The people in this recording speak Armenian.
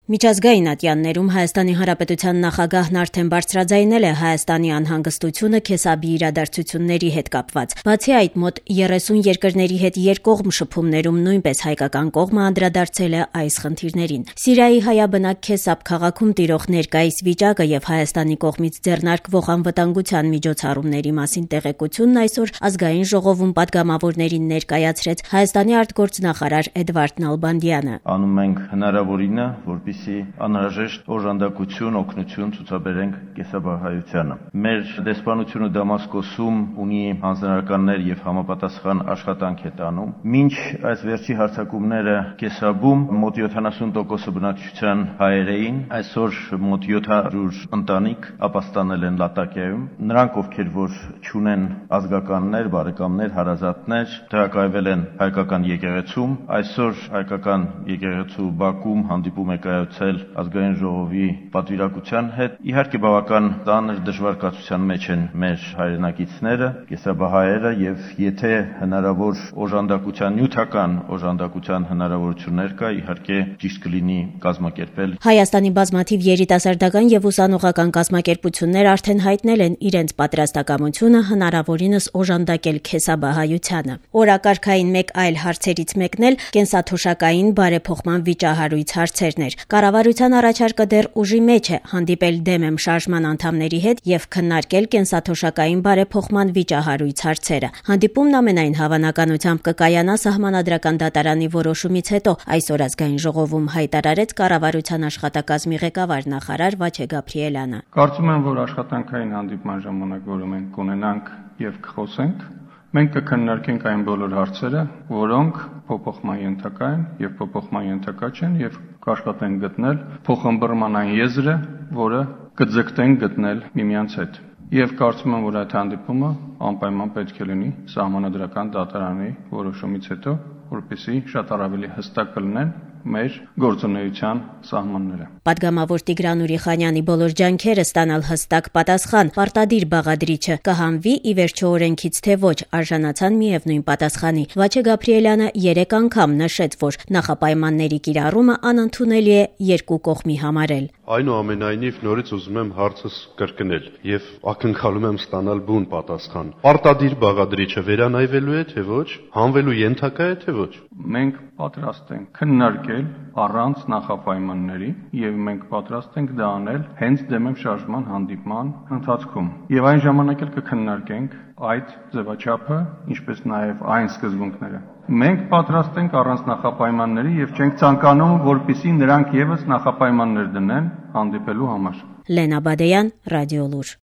Միջազգային ատյաններում Հայաստանի Հանրապետության նախագահն արդեն բարձրաձայնել է Հայաստանի անհանգստությունը Քեսաբի իրադարձությունների հետ կապված։ Բացի այդ, մոտ 30 երկրների հետ երկկողմ շփումներում նույնպես հայկական կողմը անդրադարձել է այս խնդիրներին։ Սիրիայի հայաբնակ Քեսաբ քաղաքում տիրող ներկայիս վիճակը եւ Հայաստանի կողմից ձեռնարկվող անվտանգության միջոցառումների մասին տեղեկությունն այսօր Ազգային ժողովում պատգամավորներին ներկայացրեց Հայաստանի արտգործնախարար Էդվարդ Նալբանդյանը։ Անում ենք հնարավորինը, որպեսզի անհրաժեշտ օժանդակություն, օգնություն ցուցաբերենք կեսաբահայությանը։ Մեր դեսպանությունը Դամասկոսում ունի հանձնարարականներ եւ համապատասխան աշխատանք է տանում։ Մինչ այս վերջի հարձակումները Կեսաբում մոտ 70% բնակչության հայեր էին, այսօր մոտ 700 ընտանիք ապաստանել են Լատակիայում։ Նրանք, ովքեր որ չունեն ազգականներ, բարեկամներ, հարազատներ, տեղակայվել են հայկական եկեղեցում, այսօր հայկական եկեղեցու Բաքում հանդիպում է կայացել Ազգային ժողովի պատվիրակության հետ։ Իհարկե բավական ծանր դժվար մեջ են մեր հայրենակիցները, կեսաբահայերը եւ եթե հնարավոր օժանդակության, նյութական օժանդակության հնարավորություններ կա, իհարկե ճիշտ կլինի կազմակերպել։ Հայաստանի բազմաթիվ երիտասարդական եւ ուսանողական կազմակերպություններ արդեն հայտնել են իրենց պատրաստակամությունը հնարավորինս օժանդակել քեսաբահայությանը։ Օրակարգային մեկ այլ հարցերից մեկն էլ կենսաթոշակային բարեփոխման վիճահարույց հարցերն էր։ Կառավարության առաջարկը դեռ ուժի մեջ է, հանդիպել դեմ եմ շարժման անդամների հետ եւ քննարկել կենսաթոշակային բարեփոխման վիճահարույց հարցերը։ Հանդիպումն ամենայն հավանականությամբ կկայանա Սահմանադրական դատարանի որոշումից հետո, այսօր Ազգային ժողովում հայտարարեց կառավարության աշխատակազմի ղեկավար նախարար Վաչե Գաբրիելյանը։ Կարծում եմ, որ աշխատանքային հանդիպման ժամանակ, որը մենք կունենանք եւ կխոսենք, մենք կքննարկենք այն բոլոր հարցերը, որոնք փոփոխման ենթակա են եւ փոփոխման ենթակա չեն եւ կաշխատենք գտնել փոխըմբռնման այն եզրը, որը կձգտենք գտնել միմյանց հետ։ Եվ կարծում եմ, որ այդ հանդիպումը անպայման պետք է լինի Սահմանադրական դատարանի որոշումից հետո, որպեսզի շատ ավելի հստակ կլինեն մեր գործունեության սահմանները։ Պատգամավոր Տիգրան Ուրիխանյանի բոլոր ջանքերը ստանալ հստակ պատասխան, պարտադիր բաղադրիչը կհանվի ի վերջո օրենքից թե ոչ, արժանացան միևնույն պատասխանի։ Վաչե Գաբրիելյանը 3 անգամ նշեց, որ նախապայմանների կիրառումը անընդունելի է երկու կողմի համարել։ Այնուամենայնիվ նորից ուզում եմ հարցս կրկնել եւ ակնկալում եմ ստանալ բուն պատասխան։ Պարտադիր բաղադրիչը վերանայվելու է թե ոչ, հանվելու ենթակա է թե ոչ։ Մենք պատրաստ ենք քննարկել առանց նախապայմանների եւ մենք պատրաստ ենք դա անել հենց դեմ եմ շարժման հանդիպման ընթացքում։ Եվ այն ժամանակ էլ կքննարկենք այդ ձևաչափը, ինչպես նաեւ այն սկզբունքները։ Մենք պատրաստ ենք առանց նախապայմանների եւ չենք ցանկանում, որպեսզի նրանք եւս նախապայմաններ դնեն հանդիպելու համար։ Լենա Բադեյան, Ռադիոլուր։